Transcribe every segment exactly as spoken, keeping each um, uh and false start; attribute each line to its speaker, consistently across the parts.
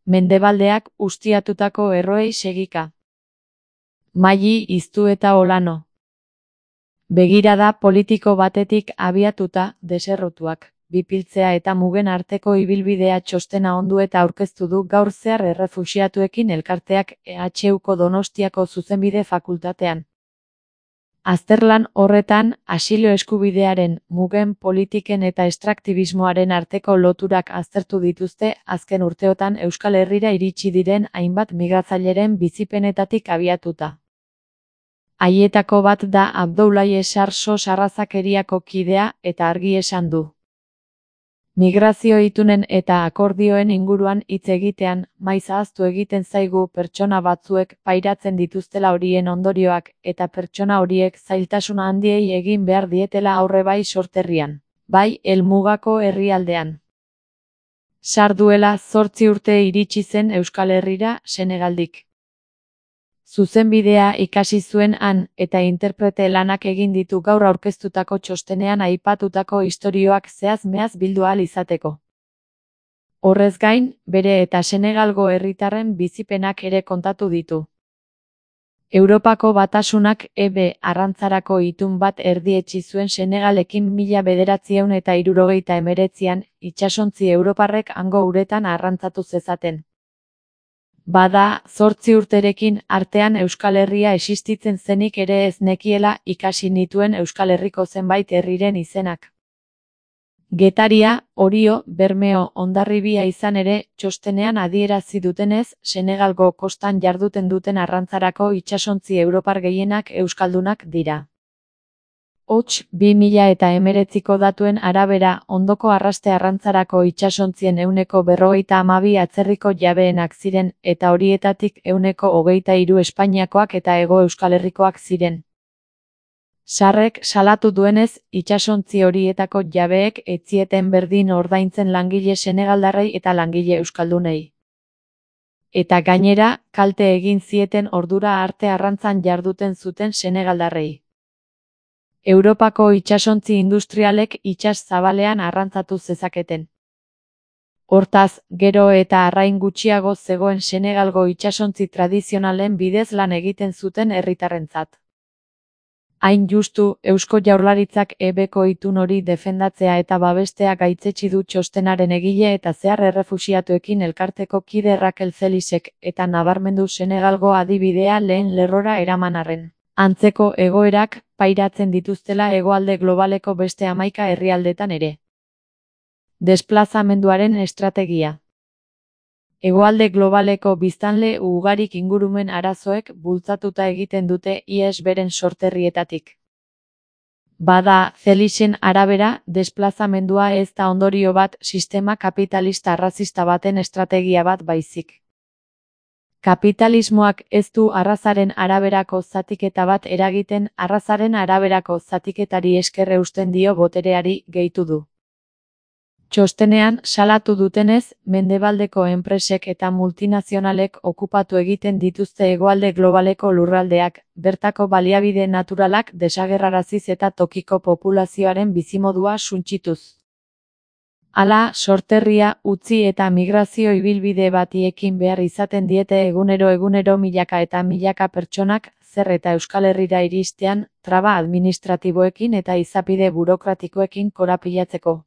Speaker 1: Mendebaldeak ustiatutako erroei segika. Maili Iztu eta Olano. Begirada politiko batetik abiatuta, deserrotuak, bipiltzea eta mugen arteko ibilbidea txostena ondu eta aurkeztu du gaur zehar errefuxiatuekin elkarteak E H Uko Donostiako zuzenbide fakultatean. Azterlan horretan, asilo eskubidearen, mugen politiken eta estraktibismoaren arteko loturak aztertu dituzte azken urteotan Euskal Herrira iritsi diren hainbat migratzaileren bizipenetatik abiatuta. Haietako bat da Abdoulaye Sarso Sarrazakeriako kidea eta argi esan du. Migrazio itunen eta akordioen inguruan hitz egitean, maiz ahaztu egiten zaigu pertsona batzuek pairatzen dituztela horien ondorioak eta pertsona horiek zailtasun handiei egin behar dietela aurre bai sorterrian, bai helmugako herrialdean. Sar duela zortzi urte iritsi zen Euskal Herrira Senegaldik. Zuzenbidea ikasi zuen han eta interprete lanak egin ditu gaur aurkeztutako txostenean aipatutako istorioak zehaz-mehaz bildu ahal izateko. Horrez gain, bere eta Senegalgo herritarren bizipenak ere kontatu ditu. Europako Batasunak E B arrantzarako itun bat erdietsi zuen Senegalekin mila bederatziehun eta hirurogeita hemeretzian, itsasontzi europarrek hango uretan arrantzatu zezaten. Bada, zortzi urterekin artean Euskal Herria existitzen zenik ere ez nekiela ikasi nituen Euskal Herriko zenbait herriren izenak. Getaria, Orio, Bermeo, Hondarribia izan ere, txostenean adierazi dutenez, Senegalgo kostan jarduten duten arrantzarako itsasontzi europar gehienak euskaldunak dira. Hots, bi mila eta hemeretziko datuen arabera, ondoko arraste arrantzarako itsasontzien ehuneko berrogeita hamabi atzerriko jabeenak ziren, eta horietatik ehuneko hogeita hiru Espainiakoak eta Hego Euskal Herrikoak ziren. Sarrek salatu duenez, itsasontzi horietako jabeek ez zieten berdin ordaintzen langile senegaldarrei eta langile euskaldunei. Eta gainera, kalte egin zieten ordura arte arrantzan jarduten zuten senegaldarrei. Europako itsasontzi industrialek itsas zabalean arrantzatu zezaketen. Hortaz, gero eta arrain gutxiago zegoen Senegalgo itsasontzi tradizionalen bidez lan egiten zuten herritarrentzat. Hain justu, Eusko Jaurlaritzak E Bko itun hori defendatzea eta babestea gaitzetsi du txostenaren egile eta zehar errefuxiatuekin elkarteko kide Raquel Celisek eta nabarmendu Senegalgo adibidea lehen lerrora eraman arren. Antzeko egoerak pairatzen dituztela hegoalde globaleko beste hamaika herrialdetan ere. Desplazamenduaren estrategia. Hegoalde globaleko biztanle ugarik ingurumen arazoek bultzatuta egiten dute ihes beren sorterrietatik. Bada, Celisen arabera, desplazamendua ez da ondorio bat sistema kapitalista arrazista baten estrategia bat baizik. Kapitalismoak ez du arrazaren araberako zatiketa bat eragiten, arrazaren araberako zatiketari esker eusten dio botereari, gehitu du. Txostenean, salatu dutenez, mendebaldeko enpresek eta multinazionalek okupatu egiten dituzte hegoalde globaleko lurraldeak, bertako baliabide naturalak desagerraraziz eta tokiko populazioaren bizimodua suntsituz. Hala, sorterria, utzi eta migrazio ibilbide bati ekin behar izaten diete egunero egunero milaka eta milaka pertsonak, zer eta Euskal Herrira iristean, traba administratiboekin eta izapide burokratikoekin korapilatzeko.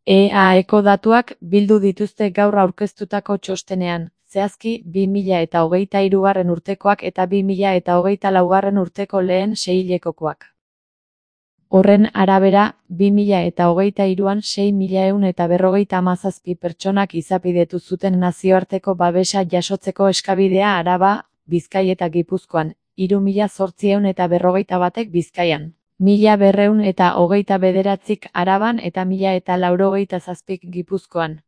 Speaker 1: E A Eko datuak bildu dituzte gaur aurkeztutako txostenean, zehazki bi mila eta hogeita hirugarren urtekoak eta bi mila eta hogeita laugarren urteko lehen seihilekokoak. Horren arabera, bi mila eta hogeita hiruan sei mila ehun eta berrogeita hamazazpi pertsonak izapidetu zuten nazioarteko babesa jasotzeko eskabidea Araba, Bizkai eta Gipuzkoan, hiru mila zortziehun eta berrogeita batek Bizkaian, mila berrehun eta hogeita bederatzik Araban eta mila eta laurogeita zazpik Gipuzkoan.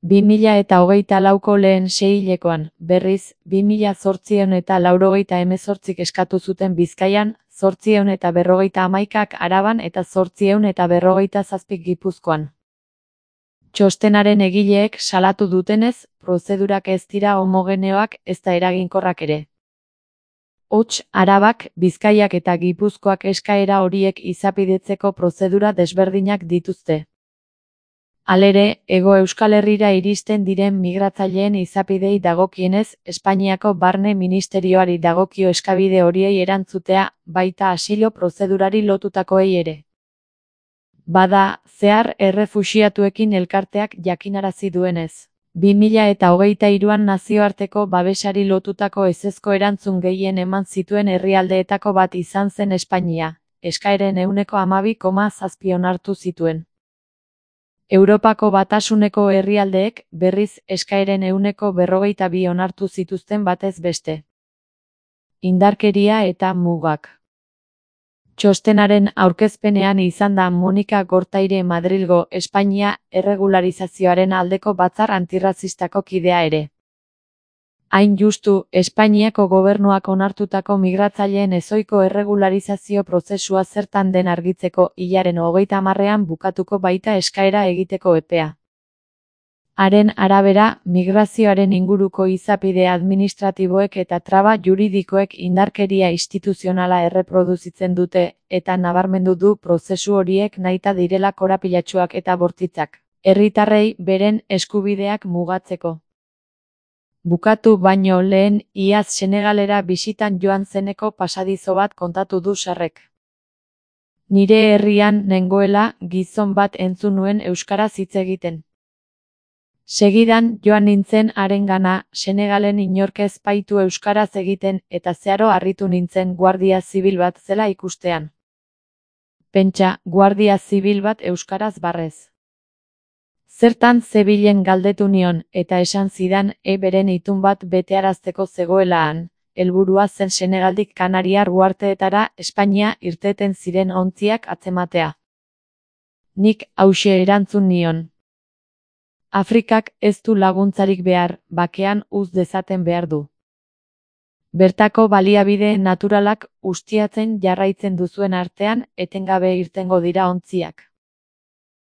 Speaker 1: bi mila eta hogeita lauko lehen seihilekoan, berriz, bi mila zortziehun eta laurogeita hemezortzik eskatu zuten Bizkaian, zortziehun eta berrogeita hamaikak Araban eta zortziehun eta berrogeita zazpik Gipuzkoan. Txostenaren egileek salatu dutenez, prozedurak ez dira homogeneoak ezta eraginkorrak ere. Hots, Arabak, Bizkaiak eta Gipuzkoak eskaera horiek izapidetzeko prozedura desberdinak dituzte. Halere, Hego Euskal Herrira iristen diren migratzaileen izapidei dagokienez, Espainiako Barne Ministerioari dagokio eskabide horiei erantzutea, baita asilo prozedurari lotutakoei ere. Bada, zehar errefuxiatuekin elkarteak jakinarazi duenez. bi mila eta hogeita hiruan nazioarteko babesari lotutako ezezko erantzun gehien eman zituen herrialdeetako bat izan zen Espainia, eskaeren ehuneko hamabi koma zazpi onartu zituen. Europako Batasuneko herrialdeek, berriz, eskaeren ehuneko berrogeita bi onartu zituzten batez beste. Indarkeria eta mugak. Txostenaren aurkezpenean izan da Monika Gortaire Madrilgo Espainia erregularizazioaren aldeko batzar antirrazistako kidea ere. Hain justu, Espainiako gobernuak onartutako migratzaileen ezohiko erregularizazio prozesua zertan den argitzeko hilaren hogeita hamarrean bukatuko baita eskaera egiteko epea. Haren arabera, migrazioaren inguruko izapide administratiboek eta traba juridikoek indarkeria instituzionala erreproduzitzen dute, eta nabarmendu du prozesu horiek nahita direla korapilatsuak eta bortitzak, herritarrei beren eskubideak mugatzeko. Bukatu baino lehen, iaz Senegalera bisitan joan zeneko pasadizo bat kontatu du Sarrek. Nire herrian nengoela, gizon bat entzun nuen euskaraz hitz egiten. Segidan, joan nintzen harengana, Senegalen inork ez baitu euskaraz egiten, eta zeharo harritu nintzen guardia zibil bat zela ikustean. Pentsa, guardia zibil bat euskaraz barrez. Zertan zebilen galdetu nion, eta esan zidan, e beren itun bat betearazteko zegoela han, helburua zen Senegaldik Kanariar uharteetara Espainia irteten ziren ontziak atzematea. Nik hauxe erantzun nion. Afrikak ez du laguntzarik behar, bakean uz dezaten behar du. Bertako baliabide naturalak ustiatzen jarraitzen duzuen artean, etengabe irtengo dira ontziak.